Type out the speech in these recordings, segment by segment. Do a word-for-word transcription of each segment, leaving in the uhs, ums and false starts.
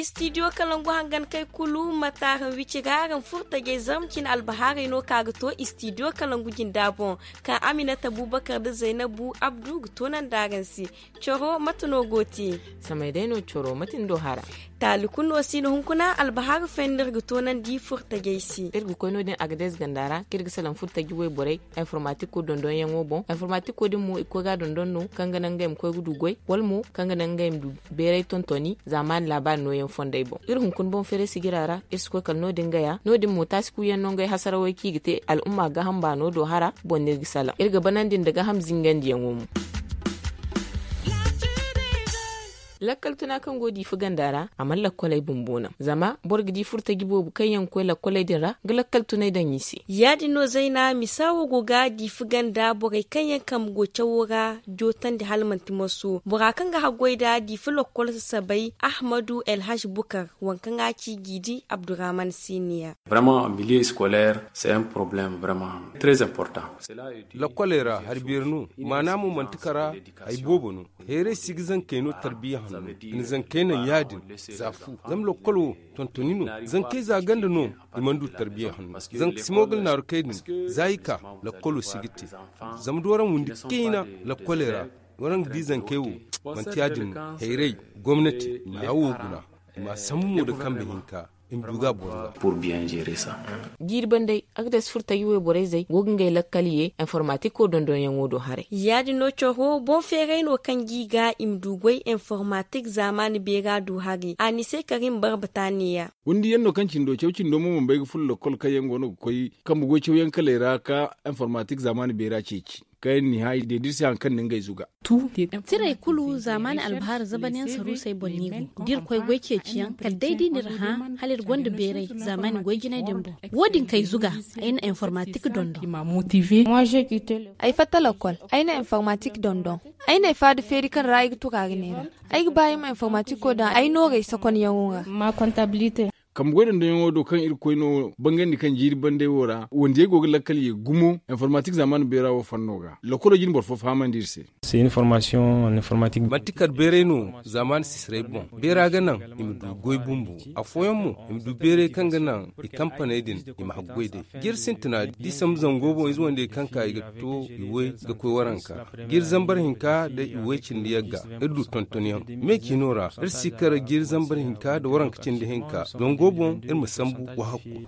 Stidiyo kalangu hangan kay kulu ma taaran wici ga araŋ furtajey zarma cine albahaarey no ka ga to stidiyo kalangu jinda boŋ, kaŋ aminata bubakar nda zaynabu abdu ga toonandi araŋ se. Coro mate no go te? Samay day no coro mate ni do hara? Taali kulu no si no hunkuna albahaari fooyaŋ no iri ga toonandi furtajey se. Iri ga koy no- din agades ganda ra kaŋ iri ga salaŋ furtaji wayborey informatiko dondonyaŋo boŋ. Informatiko din mo i ga koy ga a dondon no kaŋ ga naŋ ngey ma koy ga du goy, wala mo kaŋ ga naŋ ngey ma du beeray tontoni zaamaani laabaari nooyaŋ fondey boŋ. Iri hunkuna boŋ feeray sijira ra iri si koy kala no- din gaya no- din mo taasi kuuyaŋ no ngey hasarawey kaŋ i ga te al'umma gaaham baano do hara boŋ no iri ga salaŋ. Iri ga banandi nda gaaham zingandiyaŋo mo. Lakkal tuna kaŋ go diifa ganda ra a mana lakkoley bumbo naŋ zama boro ga di furtaji boobo kaŋ yaŋ ga koy lakkoley din ra ga lakkal tuney daŋ i se. Ya- din no zayna misa wo go ga diifa ganda borey kaŋ yaŋ kambe go cawo ra jootandi hala manti marso bora kaŋ ga haggoy nd'a diifa lakkol sasabay ahmadu elhaj bukar waŋ kaŋ a ci jiidi abdurrahman siniya. Vraiment milieu scolaire c'est un problème vraiment très important. Lakkoley ra hari beeri no maana mo manti kara hari boobo no. Heeray si ga zankey no tarbiya hanno i na zankey naŋ ya- din za fu zama lakkol wo tontoni no. Zankey za ganda no i mana du tarbiya hanno. Zanka si mo ga naaru kay din za i ka lakkolo si ga te. Zama da waraŋ windi ciina lakkoley ra waraŋ ga di zankey wo manti ya- din no. Heeray gomnati i ma hawo guna i ma a sambu mo nda kambe hinka i ma du ga a boro ga. Jiiri bandey agdes furtaji wayborey zey go ga ngey lakkal ye informatiko dondonyaŋo do haray. Ya- din no coro boŋ feeray no kaŋ ga i ga i ma du goy informatik zaamaani beera du haray a ni se kari ma barbata neeya. Windi yaŋ no kaŋ cindo caw cindo mo mana bay ga furo lakkol kaŋ yaŋ go no ga koy kambe goy cawyaŋ kaley ra ka informatik zaamaani beera ceeci kaŋ yaŋ na i hã i deediri se hari kaŋ na ngey zuga. Tirey kulu zaamaani albahaari zabanyaŋ saruusey boŋ no i go da iri koy goy ceeciyaŋ kala day da i na iri hã hala iri gonda beeray zaamaani goy jinay din boŋ. Wo- din kaŋ ay zuga ay na informatik dondon. Ay fatta lakkol ay na informatik dondon. Ay na ay faada feeri kaŋ ra ay ga turaari neera. Ay ga ba ay ma informatiko daŋ ay noorey sakonyaŋo ra. Kambe goy dondonyaŋo do kaŋ iri koy no bangandi kaŋ jiiri bandey wo ra wandiyey go ga lakkal ye gumo informatik zaamaani beera wo fanno ga lakkolo jine boro fo fahamandi iri se. Manti kala beeray no zaamaani sisirey boŋ. Beera ga naŋ i ma du goy bumbo. Afooyaŋ mo i ma du beeray kaŋ ga naŋ i kampaney din i ma haggoy day. Jiiri sintina da i sambu zango boŋ ize wandey kaŋ ka i ga to i way ga koy waranka. Jiiri zambar hinka da i way cindi yagga iri du tontonyaŋ me ciino ra iri si kar jiiri zambar hinka nda waranka cindi hinka zango boŋ iri ma sambu wahakku.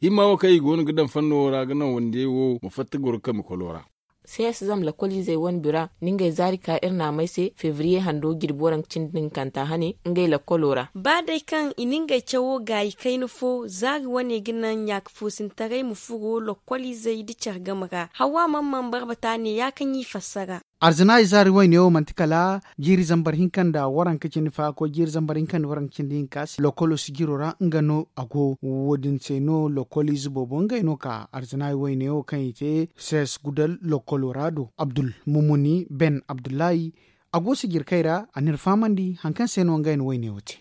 Himma wo kaŋ i go no ga daŋ fanno ra ga naŋ wandiyey wo ma fatta goro kambe kolo ra. Sees zama lakkoliizey wane bira ni ngey zaari ka iri naamey se febriye hando jirbi waranka cindi ninkanta hane ngey lakkolo ra. Ba day kaŋ i na ngey cawo gaayi kayna fo zaari wane ga naŋ ɲaaka foosintaray ma furo lakkoliizey nda care game ra hawa mana mana barbata ne ya kaŋ i fassara. Arzanaayi zaari wayne wo manti kala jiiri zambar hinka nda waranka cindi faako jiiri zambar hinka nda waranka cindi hinka se lokolo sijiro ra nga no a go. Wo- din se no lokoliize boobo ngey no ka arzanaayi wayne wo kaŋ i te sees gudal lokolo ra do abdul mumuni ben abdullahi. A go sijirkey ra a n'iri fahamandi hari kaŋ se no ngey na wayne wo te.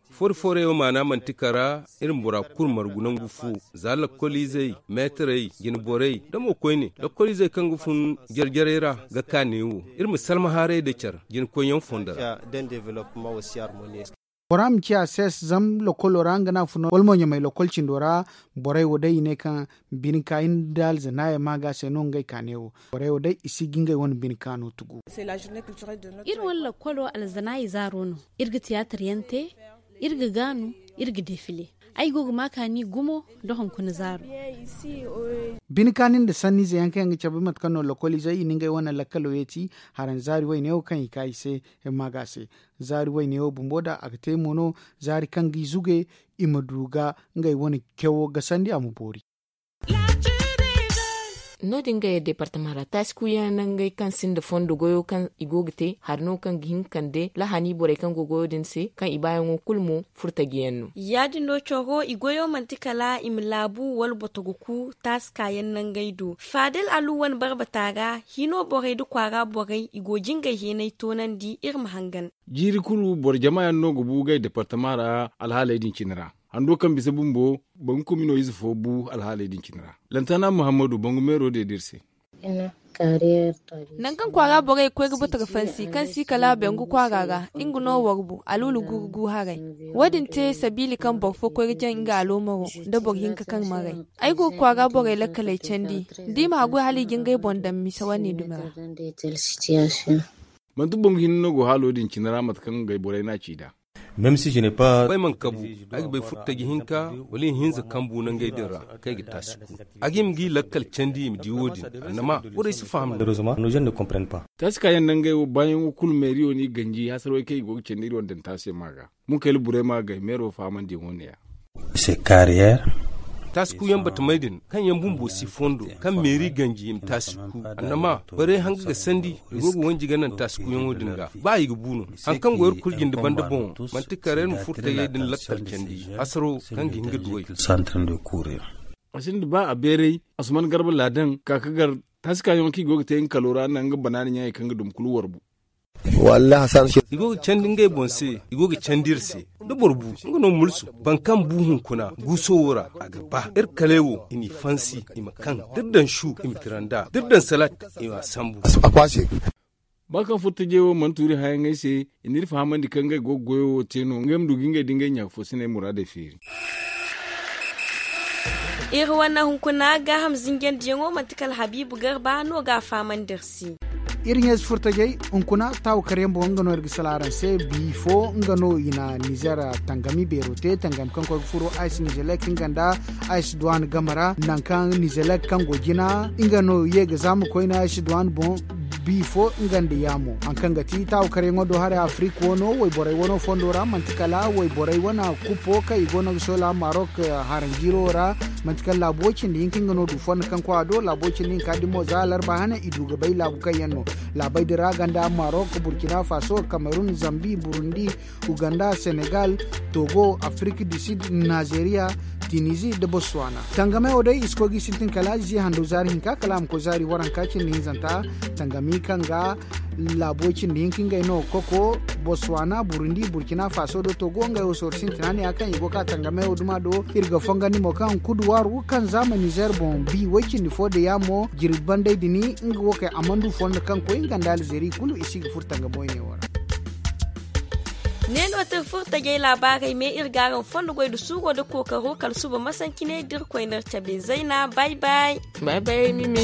Fori foorey wo maana manti kara iri ma bora kulu margu nangu fo. Za lakkoliizey meetarey jine borey da mo koyne lakkoliizey kaŋ ga fun jare jarey ra ga ka neewo iri ma salmahaarey nda care jine koyyaŋ fondo ra. Bora ma ciya sees zama lakkolo ra nga no a fun wala mo ɲamay lakkol cindo ra. Borey wo day i ne kaŋ bine ka hinne nda alzanaaye maaga se no ngey ka neewo. Borey wo day i si ga ngey wane bine ka no tugu. Iri wane lakkolo alzanaayi zaaro no. Iri ga tiyaatar yaŋ te, iri ga gaanu, iri ga defile. Ay go ga ma kaani gumo nda hunkuna zaaro. Bine kaani nda sanniize yaŋ kaŋ yaŋ ga cabe mate kaŋ no lakkoliizey i na ngey wane lakkalo yeeti. Haranzaari wayne wo kaŋ i ka i se himma ga se. Zaari wayne wo bumbo da a ga te mo no zaari kaŋ ga i zuge i ma du ga ngey wane cawo gasandi a ma boori. No- din ga yadda departama ra taasi kuuyaŋ nangey kaŋ sinda fondo goyo kaŋ i go ga te hari no kaŋ ga hin kande lahani borey kaŋ go goyo din se kaŋ i baayaŋo kulu mo furtajiyaŋ no. Ya- din no coro i goyo manti kala i ma laabu wala botogo ku taasi kaayaŋ nangey do faadal alu wane barbata ra hino borey nda kwaara borey i go jingay heenay toonandi iri ma hangan. Jiiri kulu boro jama yaŋ no ga bu gay departama ra alhaaley din cine ra. Hando kaŋ bisa bumbo bangu komino ize fo bu alhaaley din cine ra. Lantana muhammadu bangu meero deeda iri se. Nangu kaŋ kwaara borey ga koy ga bata ga fansi kaŋ si kala bengu kwaara ra, nga no warbu alulu gurugu haray. Wo- din te sabiili kaŋ boro fo koy ga jaŋ nga aloomaro nda boro hinka kaŋ maray. Ay go ga kwaara borey lakkaley candi, da i ma haggoy hala i ga ngey boŋ daŋ misa wane dumi ra. Manti boŋ ga hinne no go haalo din cine ra mate kaŋ ngey borey n'a ci nd'a. Bay mana kabu, ay ga bay furtaji hinka wala ihinza kambu nangey din ra kaŋ ay ga taasi ku. A ga hima g'i lakkal candi i ma di wo- din. Annama borey si faham. Taasi kaayaŋ nangey wo baayaŋo kulu meeriyo n'i ganji hasarwey kaŋ i go ga candi iri wane daŋ taasi ma ga. Munkayla burema gay meero fahamandiyaŋo ne-ya. Taasi kuuyaŋ batamey din kaŋ yaŋ bumbo si fondo kaŋ meeri ganji i ma taasi ku. Annama borey hanga ga sandi i go ga wanji ga naŋ taasi kuuyaŋo din ga ba i ga bu no. Hari kaŋ go iri kulu jinde banda boŋo manti kala iri ma furtayey din lakkal candi hasaro kaŋ ga hin ga duw'ey. A sinda ba a beeray asuman garba laadan ka ga gar taasi kaayaŋo kaŋ i go ga te nga kalo ra naŋ nga banaana ɲaayey kaŋ ga dum kulu warbu. I go ga candi ngey boŋ se, i go ga candi iri se. Da boro bu nga no mulsu boro kaŋ bu hunkuna guuso wo ra, a ga ba iri kaley wo i n'i fansi, i ma kaŋ da iri daŋ su i ma tira nd'a da iri daŋ salat i m'a sambu. Ba kaŋ furtajey wo mana tuuri hayaŋey se, i n'iri fahamandi kaŋ ngey go ga goyo wo te no ngey ma du ga ngey da ngey ɲaafoosiney muraadey feeri. Iri wane hunkuna gaaham zinjandiyaŋo manti kala habiibu garba no ga a fahamandi iri se. Iri ɲeesi furtajey hunkuna taawu karyaŋ boŋ nga no iri ga sala araŋ se. Bi fo nga no i na nizer tangami beero te tangami kaŋ koy ga furo ice nizelek nga nda ice duwan game ra nangu kaŋ nizelek kaŋ go jina nga no ye ga zaama koyne ice duwan boŋ. Bi fo nga nda yaamo hari kaŋ ga ti taawu karyaŋo do haray afirika wano wayborey wano fondo ra manti kala wayborey wana kupo kaŋ i go no ga soola marok haranjiiro ra. Manti kala laabu way cindi hinka nga no du fondo kaŋ koy a do laabu way cindi hinka din mo za alarba hane i du ga bay laabu kaŋ yaŋ no laabey din ra ganda marok burkina faso kamerun zambi burundi uganda senegal togo afirika du sud nizeeriya tinizi nda botswana. Tangamey wo day i si koy ga i sintin kala ziya hando zaari hinka kala a ma koy zaari waranka cindi hinzanta. Tangami kaŋ ga laabu way cindi hinka ngey no koko botswana burundi burkina faso nda togo ngey wo sorro sintina ne ya kaŋ i go ka tangamey wo duma do. Iri ga fongandi mo kaŋ kuduwaaru kaŋ zaama nizer boŋ bi way cindi fo nda yaamo jirbi bandey dini nga wo kay amandu fondo kaŋ koy nga nda alzeri kulu i si ga furo tangamo i ne wo ra. Ne no te furtajey laabaarey me iri ga araŋ fondo goy nda suuro nda kookaro kala suba masanci ne da iri koy nda iri cabe zayna bay bay. Bay bay mimi.